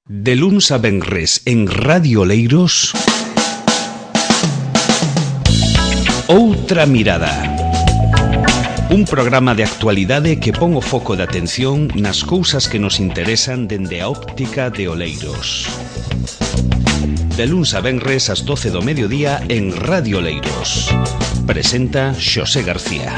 De luns a venres en Radio Oleiros, Outra Mirada. Un programa de actualidade que pon o foco de atención nas cousas que nos interesan dende a óptica de Oleiros. De luns a venres ás 12 do mediodía en Radio Oleiros. Presenta Xosé García.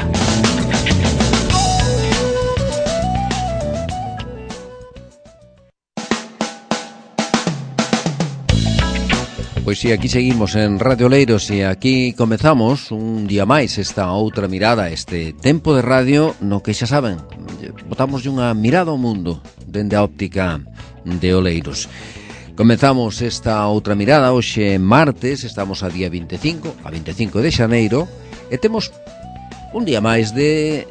Pois si, aquí seguimos en Radio Oleiros e aquí comezamos un día máis esta outra mirada, este tempo de radio no que xa saben, botamos unha mirada ao mundo dende a óptica de Oleiros. Comezamos esta outra mirada hoxe martes, estamos a día 25 de xaneiro e temos un día máis de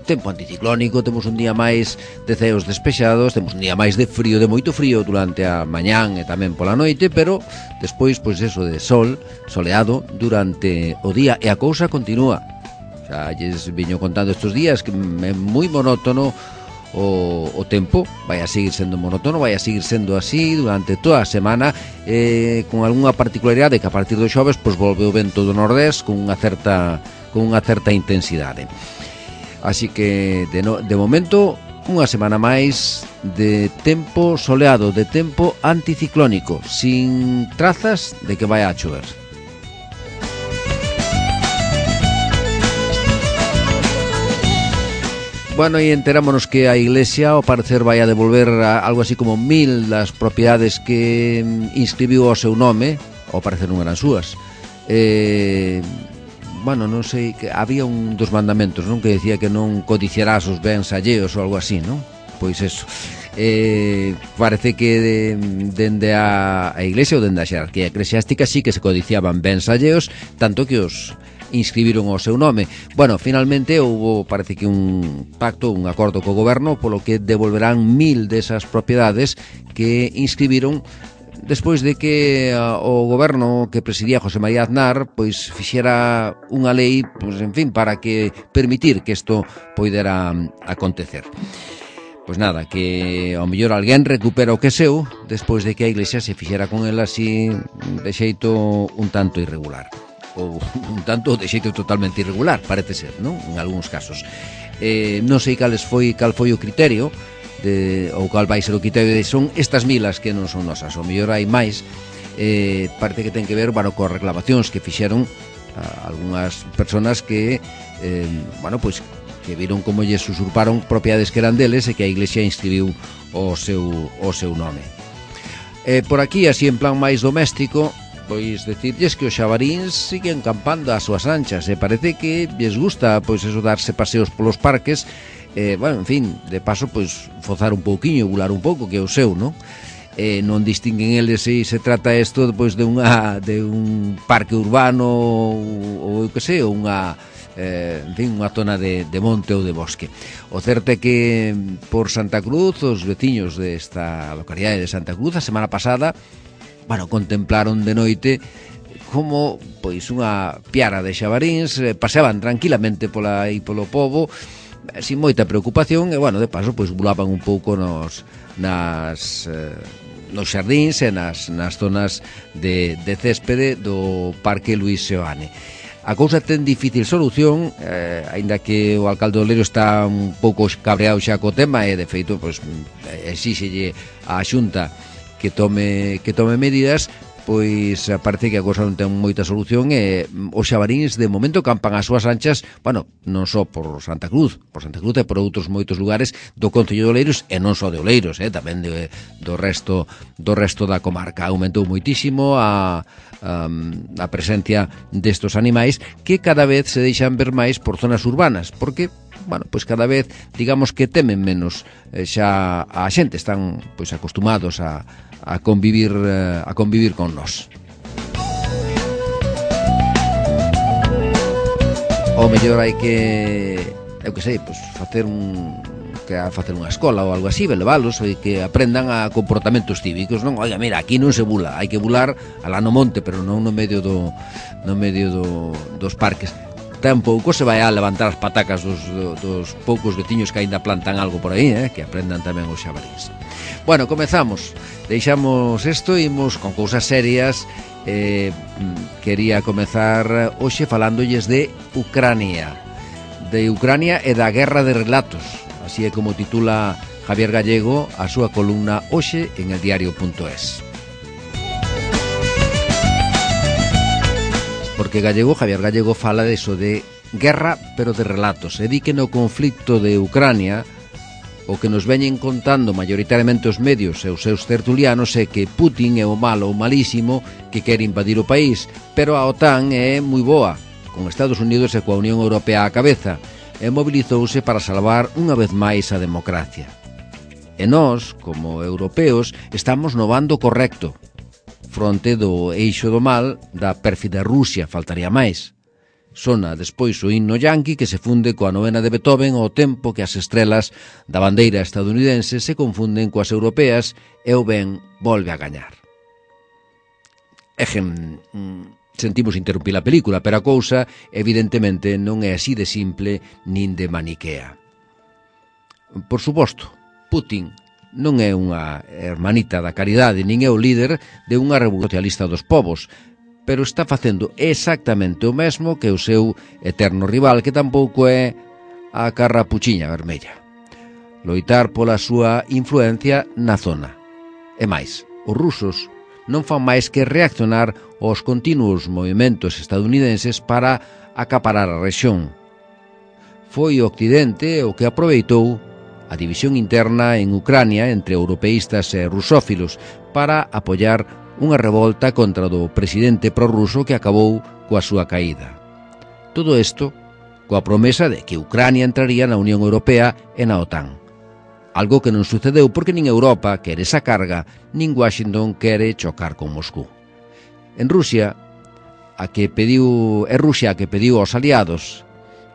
tempo anticiclónico, temos un día máis de ceos despexados, temos un día máis de frío, de moito frío durante a mañán e tamén pola noite, pero despois, pois eso, de sol, soleado durante o día e a cousa continúa. Xa lles viño contando estes días que é moi monótono o tempo, vai a seguir sendo monótono, vai a seguir sendo así durante toda a semana, con algunha particularidade que a partir do xoves pois volve o vento do nordés con unha certa intensidade. Así que, de momento, unha semana máis de tempo soleado, de tempo anticiclónico, sin trazas de que vai a chover. Bueno, e enterámonos que a Iglesia, ao parecer, vai a devolver algo así como 1000 das propiedades que inscribiu ao seu nome, ao parecer non eran súas. Bueno, non sei, que había un dos mandamentos, non, que decía que non codiciarás os bens alleos ou algo así, non? Pois eso. Parece que dende a Iglesia ou dende a xerarquía eclesiástica sí que se codiciaban bens alleos, tanto que os inscribiron ao seu nome. Bueno, finalmente houve, parece que un pacto, un acordo co goberno, polo que devolverán 1000 desas propiedades que inscribiron despois de que o goberno que presidía José María Aznar pois fixera unha lei, pois en fin, para que permitir que isto poidera acontecer. Pois nada, que ao mellor alguén recupera o que é seu despois de que a Iglesia se fixera con el así de xeito un tanto irregular, ou un tanto de xeito totalmente irregular, parece ser, non? En algúns casos. Non sei cal foi o criterio ou cal vai ser o criterio de son estas milas que non son nosas, ou mellor hai máis. Parece que ten que ver, bueno, coas reclamacións que fixeron algunhas persoas que pois que viron como lles usurparon propiedades que eran deles e que a Iglesia inscribiu o seu nome. Por aquí, así en plan máis doméstico, pois decirlles que os xabaríns siguen campando ás súas anchas e parece que lles gusta pois eso, darse paseos polos parques. Bueno, en fin, de paso, pois, fozar un pouquiño, bular un pouco, que é o seu, non? Non distinguen eles se trata isto pois, de un parque urbano ou eu que sei, ou unha, en fin, unha zona de monte ou de bosque. O certo é que por Santa Cruz, os veciños desta localidade de Santa Cruz, a semana pasada, bueno, contemplaron de noite como, pois, unha piara de xabaríns paseaban tranquilamente polo pobo, sin moita preocupación e, bueno, de paso, pois, bulaban un pouco nos xardíns e nas zonas de céspede do Parque Luís Seoane. A cousa ten difícil solución, aínda que o alcalde de Oleiros está un pouco cabreado xa co tema e, de feito, pois, exíxelle á Xunta que tome medidas. Pois parece que a cousa non ten moita solución e os xabaríns de momento campan ás súas anchas, bueno, non só por Santa Cruz e por outros moitos lugares do concello de Oleiros e non só de Oleiros, tamén do resto da comarca. Aumentou moitísimo a presencia destos animais que cada vez se deixan ver máis por zonas urbanas, porque bueno, pois cada vez, digamos que temen menos xa a xente, están pois acostumados a convivir con nós. Ou mellor hai que, eu que sei, pois facer unha escola ou algo así, leválos e que aprendan a comportamentos cívicos, non? Oiga, mira, aquí non se bula, hai que bular alá no monte, pero non no medio dos parques. Tampouco se vai a levantar as patacas dos poucos veciños que aínda plantan algo por aí, que aprendan tamén os xabaríns. Bueno, comezamos. Deixamos isto e imos con cousas serias. Quería comezar hoxe falándolles de Ucrania. De Ucrania e da guerra de relatos. Así é como titula Javier Gallego a súa columna hoxe en eldiario.es. Porque Javier Gallego fala de eso de guerra, pero de relatos. E di que no conflicto de Ucrania o que nos veñen contando maioritariamente os medios e os seus tertulianos é que Putin é o malo, o malísimo, que quere invadir o país, pero a OTAN é moi boa, con Estados Unidos e coa Unión Europea á cabeza, e mobilizouse para salvar unha vez máis a democracia. E nós, como europeos, estamos no bando correcto, fronte do eixo do mal da pérfida Rusia, faltaría máis. Sona despois o himno yanqui que se funde coa novena de Beethoven ao tempo que as estrelas da bandeira estadounidense se confunden coas europeas e o ben volve a gañar. Sentimos interrumpir a película, pero a cousa evidentemente non é así de simple nin de maniquea. Por suposto, Putin non é unha hermanita da caridade, nin é o líder de unha revolución socialista dos povos, pero está facendo exactamente o mesmo que o seu eterno rival, que tampouco é a carrapuchiña vermella. Loitar pola súa influencia na zona. E máis, os rusos non fan máis que reaccionar aos continuos movimentos estadounidenses para acaparar a rexión. Foi o Occidente o que aproveitou a división interna en Ucrania entre europeístas e rusófilos para apoiar unha revolta contra o presidente prorruso que acabou coa súa caída. Todo isto coa promesa de que Ucrania entraría na Unión Europea e na OTAN. Algo que non sucedeu porque nin Europa quere esa carga, nin Washington quere chocar con Moscú. En Rusia, é Rusia a que pediu aos aliados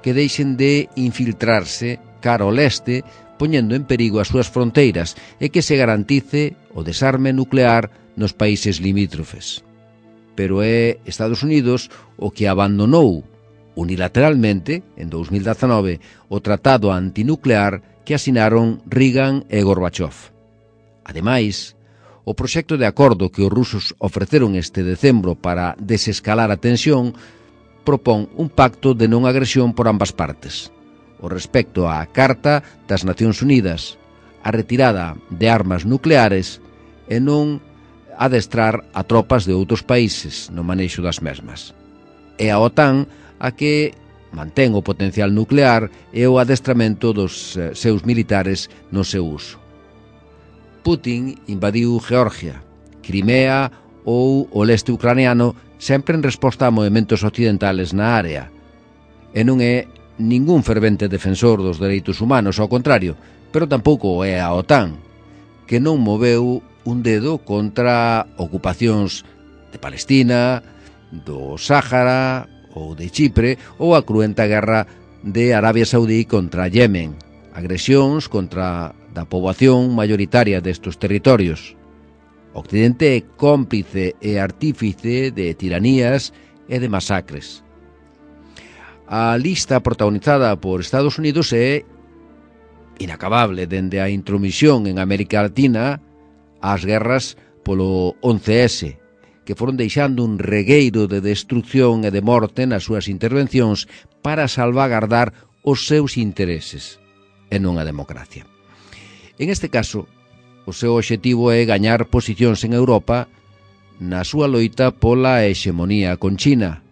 que deixen de infiltrarse cara ao leste, poñendo en perigo as súas fronteiras e que se garantice o desarme nuclear nos países limítrofes. Pero é Estados Unidos o que abandonou unilateralmente, en 2019, o tratado antinuclear que asinaron Reagan e Gorbachev. Ademais, o proxecto de acordo que os rusos ofreceron este decembro para desescalar a tensión propón un pacto de non agresión por ambas partes. O respecto á Carta das Nacións Unidas, a retirada de armas nucleares e non adestrar a tropas de outros países no manexo das mesmas. E a OTAN a que mantén o potencial nuclear e o adestramento dos seus militares no seu uso. Putin invadiu Georgia, Crimea ou o leste ucraniano sempre en resposta a movementos occidentales na área. E non é ningún fervente defensor dos dereitos humanos, ao contrario, pero tampouco é a OTAN, que non moveu un dedo contra ocupacións de Palestina, do Sáhara ou de Chipre, ou a cruenta guerra de Arabia Saudí contra Yemen, agresións contra da poboación maioritaria destos territorios. O Occidente é cómplice e artífice de tiranías e de masacres. A lista protagonizada por Estados Unidos é inacabable, dende a intromisión en América Latina ás guerras polo 11S, que foron deixando un regueiro de destrucción e de morte nas súas intervencións para salvagardar os seus intereses, e non a democracia. En este caso, o seu obxectivo é gañar posicións en Europa na súa loita pola hexemonía con China,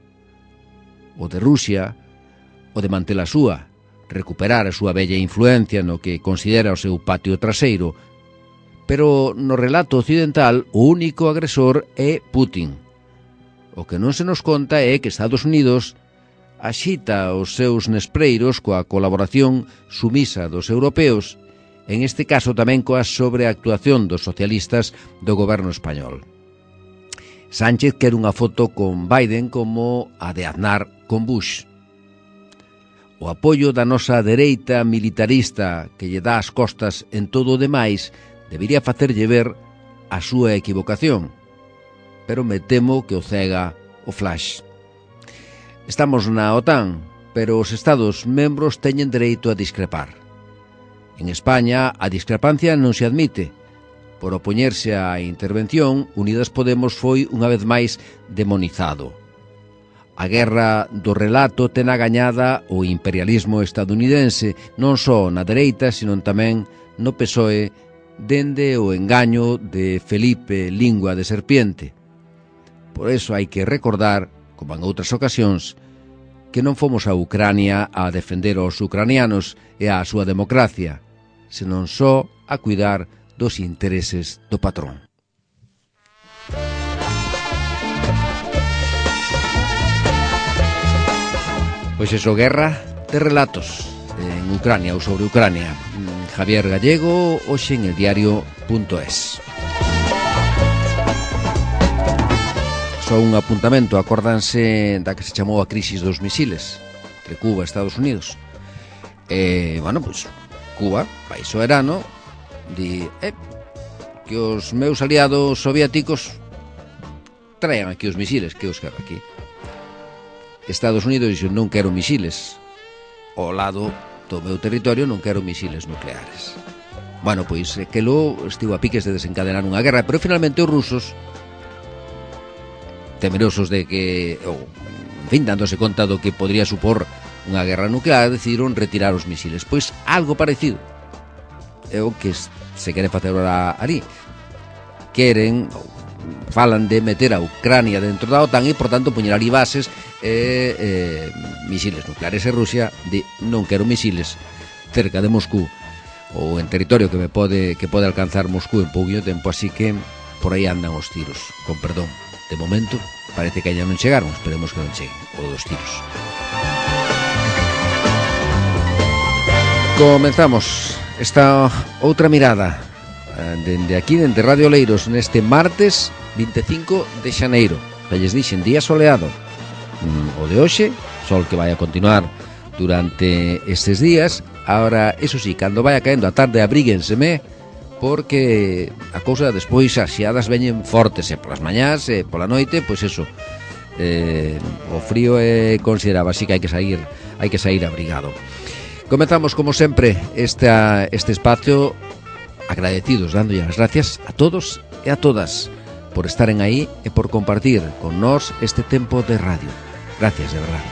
o de Rusia, o de manter a súa, recuperar a súa bella influencia no que considera o seu patio traseiro, pero no relato occidental o único agresor é Putin. O que non se nos conta é que Estados Unidos axita os seus nespreiros coa colaboración sumisa dos europeos, en este caso tamén coa sobreactuación dos socialistas do goberno español. Sánchez quere unha foto con Biden como a de Aznar con Bush. O apoio da nosa dereita militarista que lle dá as costas en todo o demais debería facerlle ver a súa equivocación, pero me temo que o cega o flash. Estamos na OTAN, pero os Estados membros teñen dereito a discrepar. En España a discrepancia non se admite, por opoñerse á intervención, Unidas Podemos foi unha vez máis demonizado. A guerra do relato ten a gañada o imperialismo estadounidense, non só na dereita, sino tamén no PSOE, dende o engaño de Felipe Lingua de Serpiente. Por eso hai que recordar, como en outras ocasións, que non fomos a Ucrania a defender aos ucranianos e a súa democracia, senón só a cuidar dos intereses do patrón. Pois iso, guerra de relatos en Ucrania ou sobre Ucrania. Javier Gallego, hoxe en eldiario.es. Só un apuntamento, acórdanse da que se chamou a crisis dos misiles entre Cuba e Estados Unidos. Bueno, pois Cuba, país soberano, di que os meus aliados soviéticos traen aquí os misiles, que os quero aquí. Estados Unidos dixo, non quero misiles ao lado do meu territorio, non quero misiles nucleares. Bueno, pois que lo estivo a piques de desencadenar unha guerra, pero finalmente os rusos, temerosos de que, en fin, dándose conta do que podría supor unha guerra nuclear, decidiron retirar os misiles. Pois algo parecido é o que se quere facer ahora ali. Queren, falan de meter a Ucrania dentro da OTAN e, por tanto, poñer ali bases misiles nucleares. E Rusia di, non quero misiles cerca de Moscú ou en territorio que pode alcanzar Moscú en pouquinho tempo, así que por aí andan os tiros, con perdón. De momento parece que ainda non chegaron, esperemos que non cheguen o dos tiros. Comenzamos esta outra mirada dende aquí, dende Radio Oleiros, neste martes 25 de xaneiro. Que lles dixen, día soleado. O de hoxe, sol que vai a continuar durante estes días. Ahora, eso sí, cando vai caendo a tarde, abríguenseme, porque a cousa despois as xiadas veñen fortes, e polas mañás e pola noite, pois eso, o frío é considerable, así que hai que sair abrigado. Comenzamos como sempre este espacio agradecidos, dándolle as gracias a todos e a todas por estaren aí e por compartir con nós este tempo de radio. Gracias, de verdade.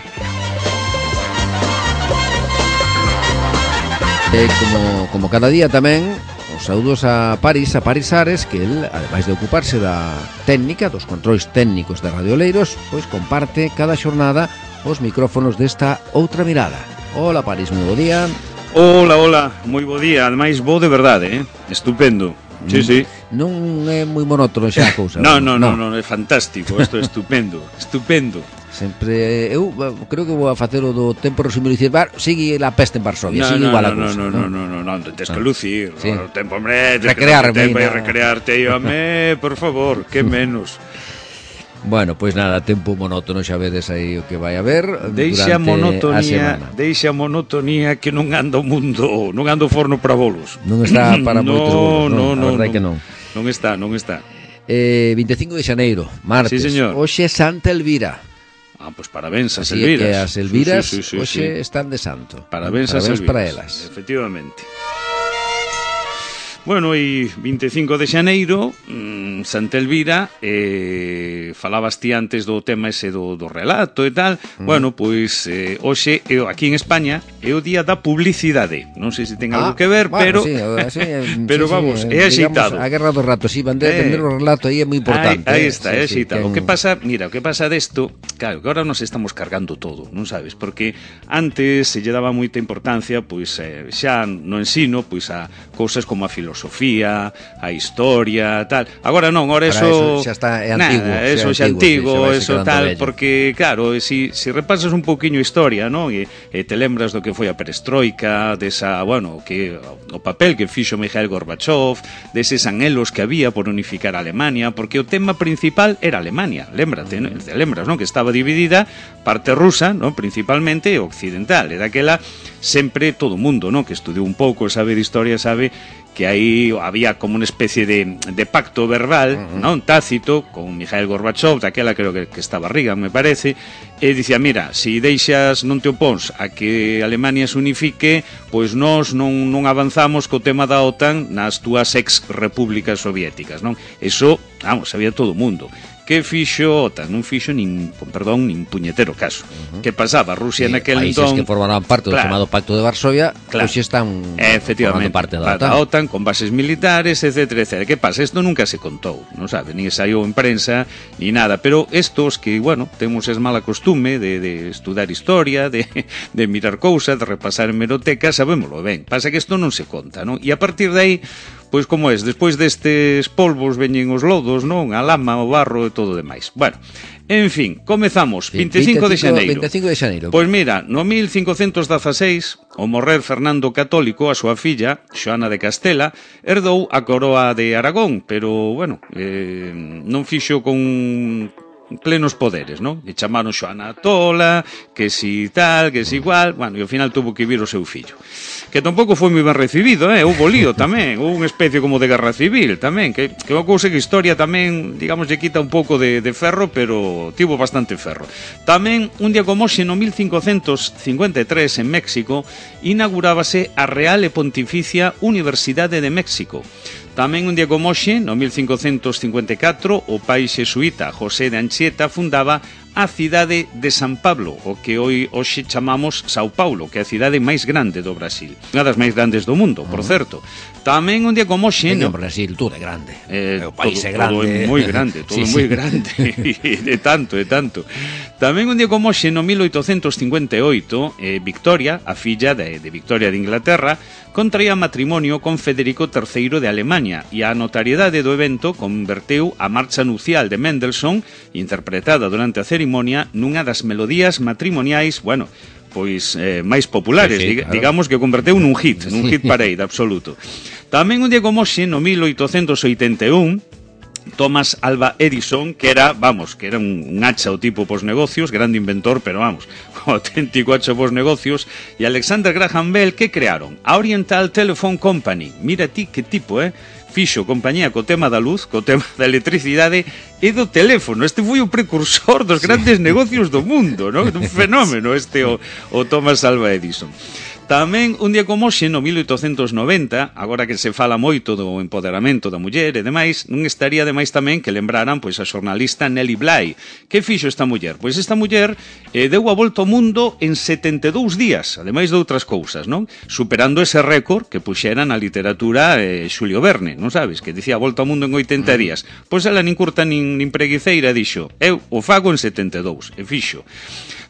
Como cada día tamén, os saúdos a Paris Ares, que el, ademais de ocuparse da técnica, dos controis técnicos de Radio Oleiros, pois comparte cada xornada os micrófonos desta outra mirada. Hola, Paris, moi bo día. Hola, moi bo día, ademais bo de verdade, estupendo. Sí. Non é moi monótono xa a cousa. Non, é fantástico, isto é estupendo. Sempre, eu creo que vou a facer o do tempo resumido e dicir, sigue la peste en Varsovia, sigue igual a cousa. Non, tens que lucir, sí. O tempo, hombre, recrearte, home, por favor, que menos. Bueno, pois nada, tempo monótono, xa vedes aí o que vai haber deixa durante a semana. Deixa a monotonía que non anda o mundo, non anda o forno para bolos. Non está para moitos bolos, non, a verdade que non. Non está. 25 de xaneiro, martes. Sí, señor. Hoxe é Santa Elvira. Pois parabéns as Así Elviras. Que as Elviras sí. hoxe están de santo. Parabéns as Elviras. Para elas. Efectivamente. Bueno, e 25 de xaneiro, Santa Elvira, falabas ti antes do tema ese do relato e tal. Bueno, pois hoxe, aquí en España, é o día da publicidade. Non sei se ten algo que ver, bueno, pero sí, pero vamos, é axeitado. A guerra do rato, sí, vender o relato aí é moi importante. Aí está, é axeitado. O que pasa desto, claro, que ahora nos estamos cargando todo, non sabes? Porque antes se lle daba moita importancia, pois xa no ensino, pois a cousas como a filosofía, a historia, tal. Agora non, agora eso xa está antigo. Eso xa antigo, eso tal, bello. porque claro, si repasas un pouquiño a historia, non? E te lembras do que foi a perestroika, desa, bueno, que o papel que fixo Mikhail Gorbachev, deses anhelos que había por unificar a Alemania, porque o tema principal era Alemania. Lémbrate, non? Te lembras, non? Que estaba dividida parte rusa, non? Principalmente occidental. Era aquela sempre todo o mundo, non? Que estudiou un pouco, sabe de historia, sabe que aí había como unha especie de pacto verbal, non, tácito, con Mikhail Gorbachev, daquela creo que estaba Reagan, me parece, e dicía, mira, se deixas, non te opóns a que Alemania se unifique, pois nós non avanzamos co tema da OTAN nas túas ex-repúblicas soviéticas, non? Eso, vamos, sabía todo o mundo. Que fixo OTAN? Non fixo nin puñetero caso. Que pasaba? Rusia naquel entón... Países que formaban parte do chamado Pacto de Varsovia, pois están formando parte da OTAN con bases militares, etcétera, etcétera. Que pasa? Isto nunca se contou, non sabe? Nin saiu en prensa, ni nada. Pero estos que, bueno, temos es mala costume de estudar historia, de mirar cousas, de repasar hemerotecas, sabémoslo ben. Pasa que isto non se conta, non? E a partir de aí... Pois como es, despois destes polvos veñen os lodos, non? A lama, o barro e todo o demais. Bueno, en fin, comezamos, 25 de xaneiro. Pois mira, no 1516, ao morrer Fernando Católico, a súa filla, Xoana de Castela, herdou a coroa de Aragón, pero, bueno, non fixo con plenos poderes, non? E chamaron Xoana Tola, que si tal, que si igual, bueno, e ao final tuvo que vir o seu fillo. Que tampouco foi moi ben recibido, houve lío tamén, houve unha especie como de guerra civil tamén, que unha cousa que a historia tamén, digamos, lle quita un pouco de ferro, pero tivo bastante ferro. Tamén, un día como hoxe, no 1553, en México, inaugurábase a Real e Pontificia Universidade de México. Tamén un día como hoxe, no 1554, o pai xesuíta José de Anchieta fundaba a cidade de San Pablo, o que hoxe chamamos Sao Paulo, que é a cidade máis grande do Brasil. Unha das máis grandes do mundo, por certo. Tamén un día como hoxe... No Brasil todo é grande. O país é grande. Todo é moi grande, todo é moi grande. De tanto. Tamén un día como hoxe, no 1858, Victoria, a filla de Victoria de Inglaterra, contraía matrimonio con Federico III de Alemania e a notariedade do evento converteu a marcha nupcial de Mendelssohn, interpretada durante a cerimonia, nunha das melodías matrimoniais, bueno, pois máis populares, claro. Digamos que converteu nun hit parade absoluto. Tamén un día como hoxe, no 1881, Thomas Alva Edison, que era un hacha o tipo pos negocios, grande inventor, pero vamos, auténtico hacha pos negocios, e Alexander Graham Bell, que crearon a Oriental Telephone Company. Mira ti que tipo, fixo compañía co tema da luz, co tema da electricidade e do teléfono. Este foi o precursor dos grandes negocios do mundo, non? Un fenómeno o Thomas Alva Edison. Tamén, un día como hoxe, no 1890, agora que se fala moito do empoderamento da muller e demais, non estaría demais tamén que lembraran pois a xornalista Nelly Bly. Que fixo esta muller? Pois esta muller deu a volta ao mundo en 72 días, ademais de outras cousas, non? Superando ese récord que puxera na literatura Xulio Verne, non sabes? Que dicía a volta ao mundo en 80 días. Pois ela nin curta nin preguiceira dixo, eu o fago en 72, e fixo.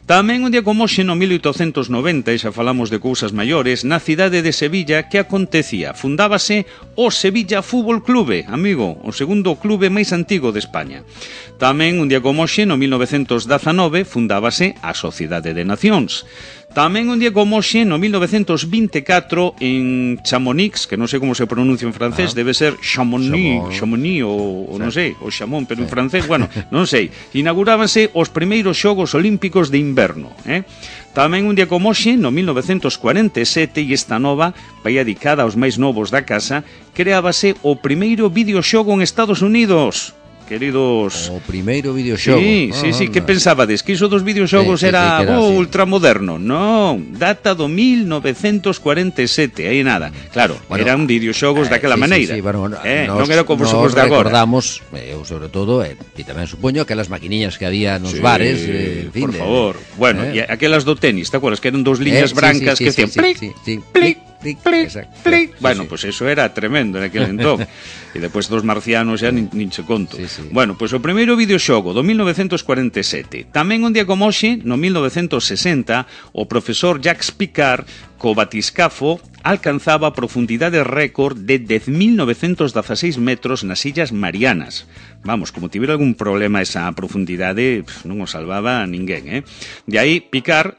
Tamén un día como hoxe, no 1890, e xa falamos de cousas maiores, na cidade de Sevilla, que acontecía? Fundábase o Sevilla Fútbol Clube, amigo, o segundo clube máis antigo de España. Tamén un día como hoxe, no 1919, fundábase a Sociedade de Nacións. Tamén un día como hoxe, no 1924, en Chamonix, que non sei como se pronuncia en francés, debe ser Chamonix ou non sei, o Chamón, pero en francés, bueno, non sei, inaugurábanse os primeiros Xogos Olímpicos de Inverno, Tamén un día como hoxe, no 1947, e esta nova, vai dedicada aos máis novos da casa, creábase o primeiro videoxogo en Estados Unidos. Queridos... O primeiro videoxogo. Sí, que pensabades? Que iso dos videoxogos era ultramoderno? Non, data do 1947, aí nada. Claro, eran videoxogos daquela maneira. Non era como os xogos de agora. Recordamos, eu sobre todo, e tamén supoño, aquelas maquiniñas que había nos bares. Por favor. Bueno, e aquelas do tenis, te acuerdas? Que eran dos liñas brancas que decían plic, plic. Bueno, pois eso era tremendo en aquel entón. E depois dos marcianos xa nin che conto. Bueno, pois o primeiro videoxogo do 1947. Tamén un día como hoxe, no 1960, o profesor Jacques Picard, co batiscafo, alcanzaba a profundidade récord de 10.916 metros nas Illas Marianas. Vamos, como tivera algún problema esa profundidade, non o salvaba a ninguén, De aí, Picard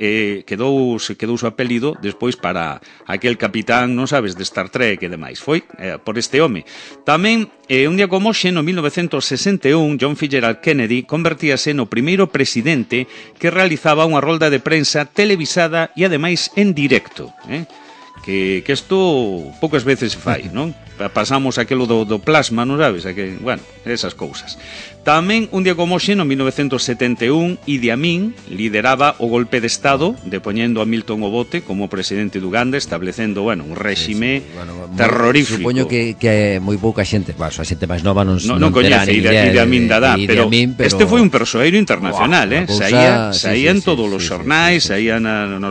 quedou o apelido despois para aquel capitán, non sabes, de Star Trek e demais. Foi por este home. Tamén, un día como hoxe, no 1961, John Fitzgerald Kennedy convertíase no primeiro presidente que realizaba unha rolda de prensa televisada e ademais en directo, que isto poucas veces se fai, non? Pasamos aquelo do plasma, non sabes? Bueno, esas cousas. Tamén, un día como hoxe, no 1971, Idi Amin lideraba o golpe de Estado, depoñendo a Milton Obote como presidente de Uganda, establecendo, bueno, un réxime terrorífico. Supoño que moi pouca xente, a xente máis nova non coñece Idi Amin Dada, pero este foi un persoeiro internacional, saía en todos os xornais, saía non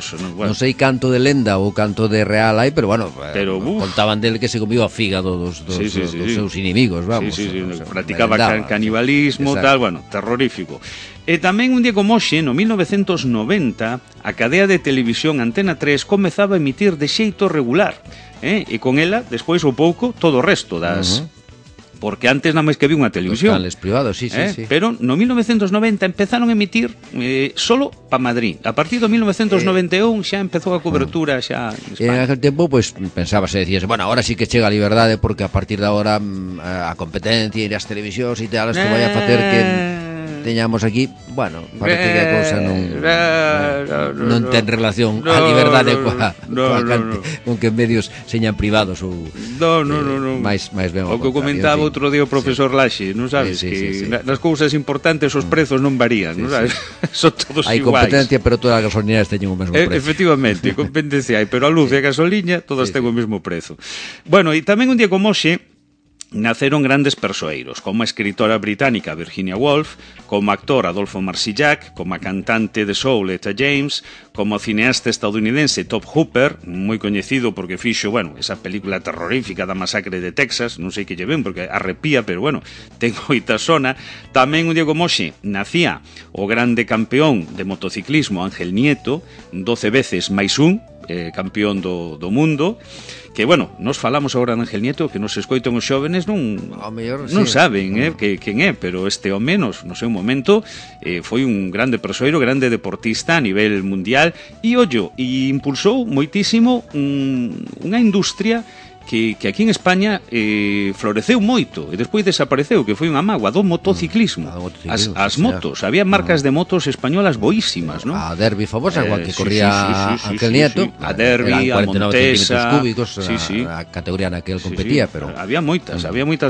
sei canto de lenda ou canto de real hai, pero bueno, contaban del que se comió a fígado dos seus inimigos, vamos. Practicaba canibalismo, tal, bueno, terrorífico. E tamén un día como hoxe, no 1990, a cadea de televisión Antena 3 comezaba a emitir de xeito regular, e con ela, despois ou pouco, todo o resto das... Porque antes nada máis que había unha televisión. Os canales privados, sí. Pero no 1990 empezaron a emitir solo pa Madrid. A partir do 1991 xa empezou a cobertura xa en España. En aquel tempo, pues, pensábase, decías, bueno, ahora sí que chega a liberdade porque a partir de ahora a competencia e as televisións e tal, isto vai a facer que teñamos aquí, bueno, parece que a cousa non ten relación a liberdade con que medios señan privados ou máis ben o que comentaba outro día o profesor Laxe, non sabes, que nas cousas importantes os prezos non varían, non sabes? Son todos iguais. Hai competencia, pero todas as gasolineras teñen o mesmo prezo. Efectivamente, competencia hai, pero a luz e a gasoliña todas ten o mesmo prezo. Bueno, e tamén un día como hoxe naceron grandes persoeiros, como a escritora británica Virginia Woolf, como actor Adolfo Marsillac, como a cantante de soul Etta James, como o cineasta estadounidense Top Hooper, moi coñecido porque fixo, bueno, esa película terrorífica da masacre de Texas, non sei que lle ven porque arrepía, pero bueno, ten moita sona. Tamén un día como hoxe nacía o grande campeón de motociclismo Ángel Nieto, 12 veces máis un, campeón do mundo, que, bueno, nos falamos agora de Ángel Nieto, que nos escoitan os xóvenes non saben quen é, pero este home no seu momento foi un grande persoeiro, grande deportista a nivel mundial, e impulsou moitísimo unha industria que aquí en España floreceu moito e despois desapareceu, que foi unha mágoa do motociclismo. As motos, había marcas de motos españolas boísimas, non? A Derby famosa, igual que corría Ángel Nieto, a Derby, a Montesa, cúbicos, a categoría na que el competía, pero había moitas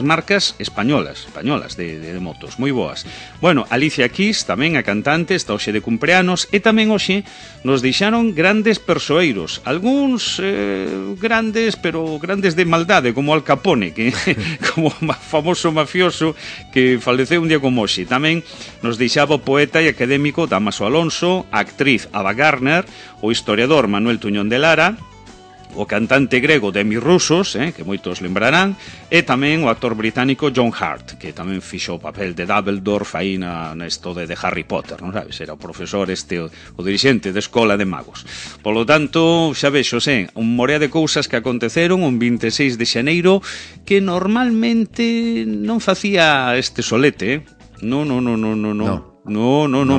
marcas españolas de motos, moi boas. Bueno, Alicia Keys, tamén a cantante, está hoxe de cumpleanos, e tamén hoxe nos deixaron grandes persoeiros, algúns grandes, pero grandes de maldade, como Al Capone, que como famoso mafioso que faleceu un día como hoxe. Tamén nos deixaba o poeta e académico Dámaso Alonso, a actriz Ava Gardner, o historiador Manuel Tuñón de Lara, o cantante grego Demis Roussos, que moitos lembrarán, e tamén o actor británico John Hart, que tamén fixo o papel de Dumbledore aí nesto de Harry Potter, non sabes? Era o profesor o dirixente de escola de magos. Polo tanto, xa vexo, un morea de cousas que aconteceron un 26 de xaneiro que normalmente non facía este solete, Non,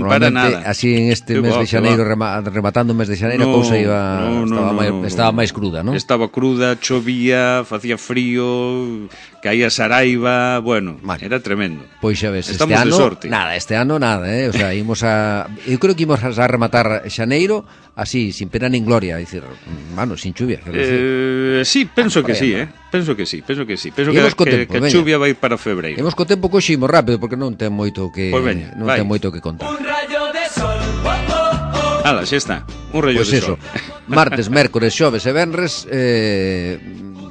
para nada. Así en este mes de xaneiro, rematando o mes de xaneiro, a cousa estaba máis cruda, non? Estaba cruda, chovía, facía frío, caía Saraiva, bueno, era tremendo. Pois xa ves, estamos de sorte. Este ano nada, o sea, eu creo que imos a rematar xaneiro así, sin pena nin gloria, dicir, sin chuvia. Sí, penso que sí, penso que a chuvia vai para febreiro. Imos co tempo que ximos rápido, porque non ten moito que contar. Un rayo de sol. Ala, xa está, un rayo de sol. Martes, mércores, xoves e venres,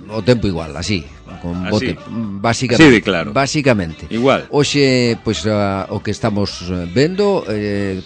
o tempo igual, así, con bote, básicamente. Sí, claro. Básicamente. Igual. Hoxe, pois, o que estamos vendo,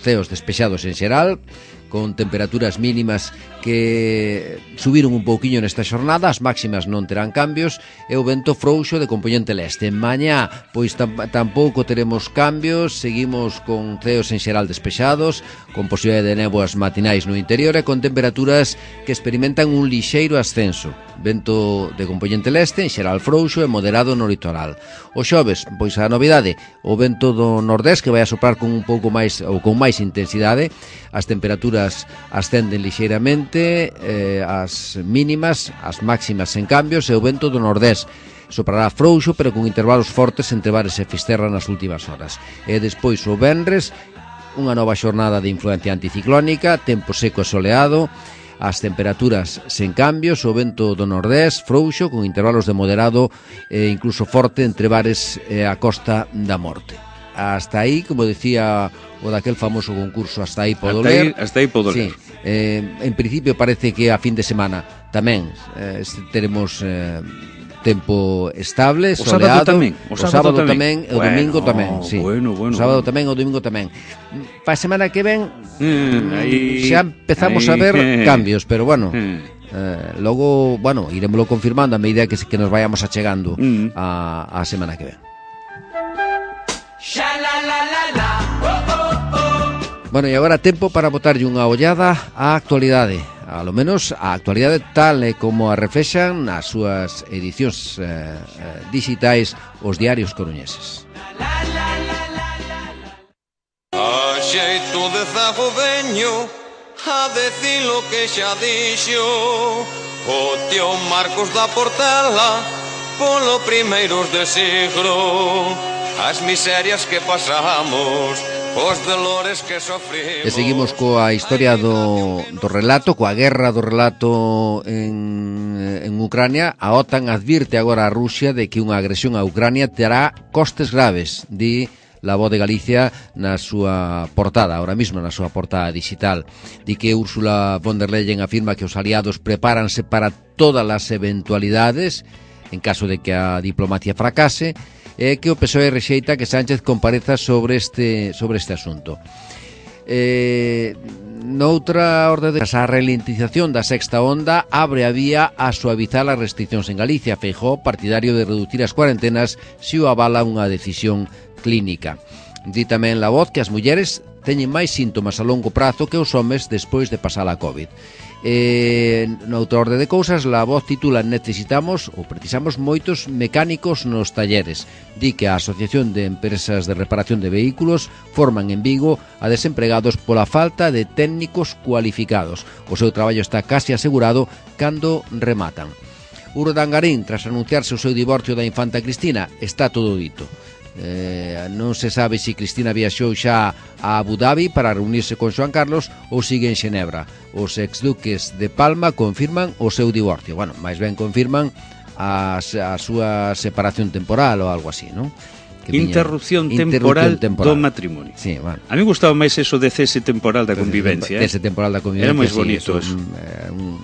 ceos despexados en xeral, con temperaturas mínimas que subiron un pouquiño nesta xornada, as máximas non terán cambios, e o vento frouxo de compoñente leste. Mañá, pois tampouco teremos cambios, seguimos con ceos en xeral despexados, con posibilidade de néboas matinais no interior e con temperaturas que experimentan un lixeiro ascenso. Vento de compoñente leste, en xeral frouxo e moderado no litoral. O xoves, pois a novidade, o vento do nordés que vai a soprar con un pouco máis ou con máis intensidade, as temperaturas ascenden lixeiramente, as mínimas, as máximas sen cambios, e o vento do nordés soprará frouxo, pero con intervalos fortes entre Bares e Fisterra nas últimas horas. E despois o venres, unha nova xornada de influencia anticiclónica, tempo seco e soleado, As temperaturas sen cambios, o vento do nordés frouxo con intervalos de moderado e incluso forte entre bares e a Costa da Morte. Hasta aí, como decía o daquel famoso concurso, hasta aí podo ler. Hasta aí podo ler. Sí, en principio parece que a fin de semana tamén teremos tempo estable, soleado. O sábado tamén e o domingo tamén, sí. Bueno. O sábado tamén e o domingo tamén. Pa semana que ven xa empezamos a ver cambios, pero bueno, logo, iremoslo confirmando a medida que nos vayamos achegando a semana que ven. Bueno, e agora tempo para botarlle unha ollada á actualidade, a lo menos a actualidade tal e como a reflexan nas súas edicións digitais os diarios coruñeses. A xeito de zago veño a decir lo que xa dixo o tío Marcos da Portela polo primeiros de siglo, as miserias que pasamos, os dolores que sofrimos. E seguimos coa historia do relato, coa guerra do relato en Ucrania. A OTAN advirte agora a Rusia de que unha agresión a Ucrania terá costes graves, di La Voz de Galicia na súa portada, ahora mismo na súa portada digital. Di que Ursula von der Leyen afirma que os aliados prepáranse para todas as eventualidades en caso de que a diplomacia fracase, e que o PSOE rexeita que Sánchez compareza sobre este asunto. Noutra orde de a ralentización da sexta onda abre a vía a suavizar as restriccións en Galicia. Feijóo, partidario de reducir as cuarentenas se o avala unha decisión clínica. Di tamén La Voz que as mulleres teñen máis síntomas a longo prazo que os homes despois de pasar a COVID. Noutra orde de cousas, La Voz titula precisamos moitos mecánicos nos talleres. Di que a Asociación de Empresas de Reparación de Vehículos forman en Vigo a desempregados pola falta de técnicos cualificados. O seu traballo está casi asegurado cando rematan. Urdangarín, tras anunciarse o seu divorcio da infanta Cristina, está todo dito. Non se sabe se Cristina viaxou xa a Abu Dhabi para reunirse con Xoán Carlos ou sigue en Xenebra. Os exduques de Palma confirman o seu divorcio. Bueno, máis ben confirman a súa separación temporal ou algo así, non? Interrupción temporal do matrimonio. Sí, bueno. A mí gustaba máis eso de cese temporal da convivencia. Cese temporal da convivencia. Era moi bonito eso.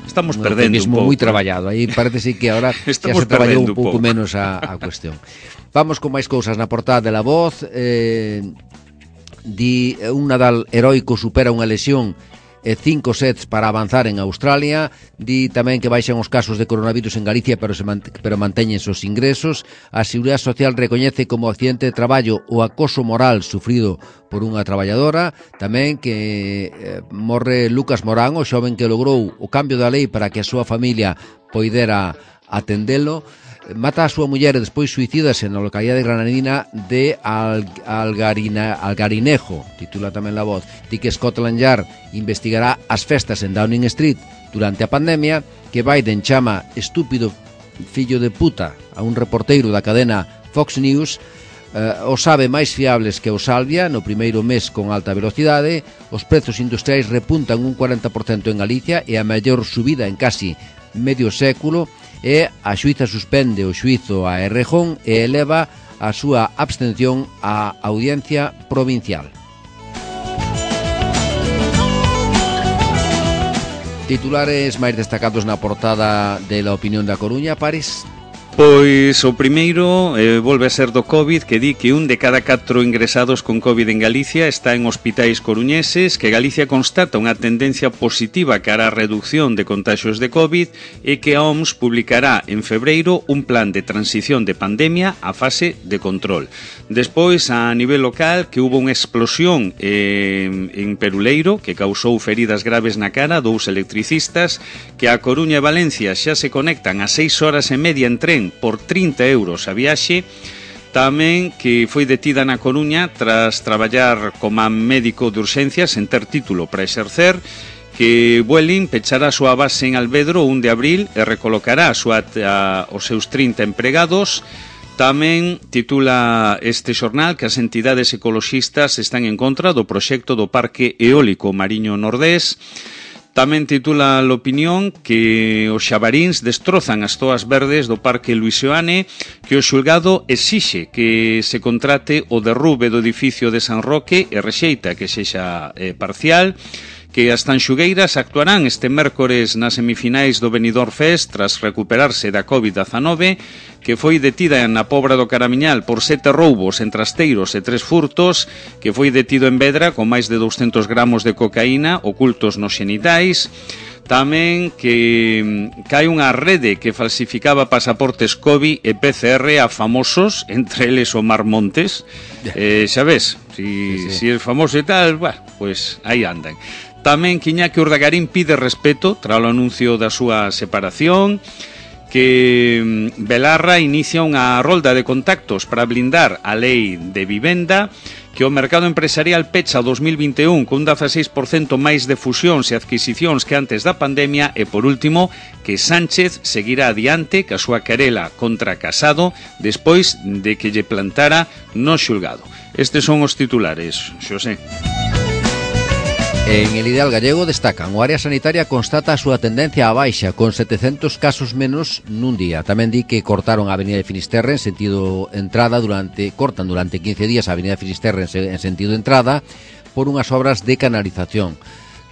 Estamos perdendo un pouco. Moi traballado. Aí parece que agora xa se traballou un pouco menos a cuestión. Vamos con máis cousas na portada de La Voz. Di un Nadal heroico supera unha lesión e 5 sets para avanzar en Australia. Di tamén que baixan os casos de coronavirus en Galicia, pero manteñense os ingresos. A Seguridade Social recoñece como accidente de traballo o acoso moral sufrido por unha traballadora. Tamén que morre Lucas Morán, o xoven que logrou o cambio da lei para que a súa familia poidera atendelo. Mata a súa muller e despois suicídase na localidade granadina de Algarinejo, titula tamén La Voz. Di que Scotland Yard investigará as festas en Downing Street durante a pandemia, que Biden chama estúpido fillo de puta a un reporteiro da cadena Fox News. O sabe máis fiables que o Salvia no primeiro mes con alta velocidade. Os prezos industriais repuntan un 40% en Galicia e a maior subida en casi medio século. E a xuíza suspende o xuízo a Errejón e eleva a súa abstención á Audiencia Provincial. Titulares máis destacados na portada de La Opinión da Coruña, Paris. Pois o primeiro volve a ser do COVID, que di que 1 de cada 4 ingresados con COVID en Galicia está en hospitais coruñeses, que Galicia constata unha tendencia positiva cara á reducción de contaxios de COVID e que a OMS publicará en febreiro un plan de transición de pandemia á fase de control. Despois, a nivel local, que hubo unha explosión en Peruleiro que causou feridas graves na cara, 2 electricistas, que a Coruña e Valencia xa se conectan a 6 horas e media en tren por 30 euros a viaxe. Tamén que foi detida na Coruña tras traballar como médico de urxencias sen ter título para exercer, que Vueling pechará a súa base en Alvedro o 1 de abril e recolocará os seus 30 empregados. Tamén titula este xornal que as entidades ecoloxistas están en contra do proxecto do Parque Eólico Mariño Nordés. Tamén titula l'opinión que os xabaríns destrozan as zoas verdes do Parque Luís Seoane, que o xulgado exixe que se contrate o derrube do edificio de San Roque e rexeita que sexa parcial, que as tanxugueiras actuarán este mércores nas semifinais do Benidorm Fest tras recuperarse da COVID-19, que foi detida na Pobra do Caramiñal por 7 roubos en trasteiros e 3 furtos, que foi detido en Vedra con máis de 200 gramos de cocaína ocultos nos xenitais. Tamén que hai unha rede que falsificaba pasaportes COVID e PCR a famosos, entre eles o Mar Montes. Xa ves, si é famoso e tal, pues aí andan. Tamén que Iñaki Urdagarín pide respeto tras o anuncio da súa separación, que Belarra inicia unha rolda de contactos para blindar a lei de vivenda, que o mercado empresarial pecha o 2021 con un 16% máis de fusións e adquisicións que antes da pandemia e, por último, que Sánchez seguirá adiante ca súa querela contra Casado despois de que lle plantara no xulgado. Estes son os titulares, Xosé. En El Ideal Gallego destacan: o área sanitaria constata a súa tendencia á baixa, con 700 casos menos nun día. Tamén di que cortaron a Avenida de Finisterre en sentido entrada cortan durante 15 días a Avenida de Finisterre en sentido entrada por unhas obras de canalización.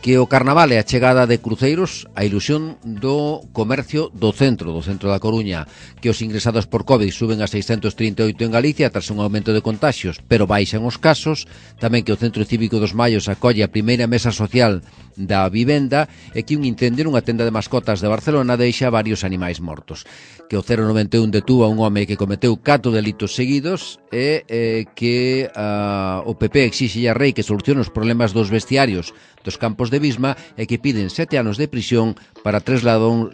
Que o carnaval e a chegada de cruceiros a ilusión do comercio do centro da Coruña, que os ingresados por COVID suben a 638 en Galicia tras un aumento de contaxios, pero baixan os casos. Tamén que o Centro Cívico dos Mallos acolle a primeira mesa social da vivenda e que un incendio nunha tenda de mascotas de Barcelona deixa varios animais mortos. Que o 091 detúa un home que cometeu 4 delitos seguidos e que o PP exixe a Rei que solucione os problemas dos vestiarios dos campos de Bisma e que piden 7 anos de prisión para 3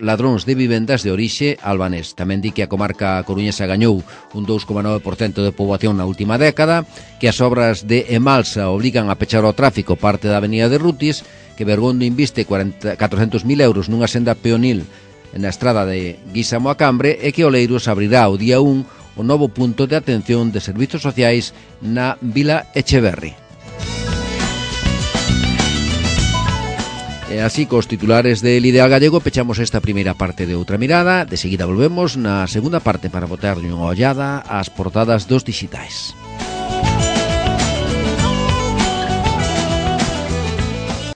ladróns de vivendas de orixe albanés. Tamén di que a comarca coruñesa gañou un 2,9% de poboación na última década, que as obras de Emalsa obrigan a pechar o tráfico parte da avenida de Rutis, que Bergondo inviste 400.000 euros nunha senda peonil na estrada de Guísamo a Cambre e que Oleiros abrirá o día 1 o novo punto de atención de servizos sociais na Vila Echeverri. E así, cos titulares del Ideal Gallego, pechamos esta primeira parte de Outra Mirada. De seguida volvemos na segunda parte para botarlle unha ollada ás portadas dos dixitais.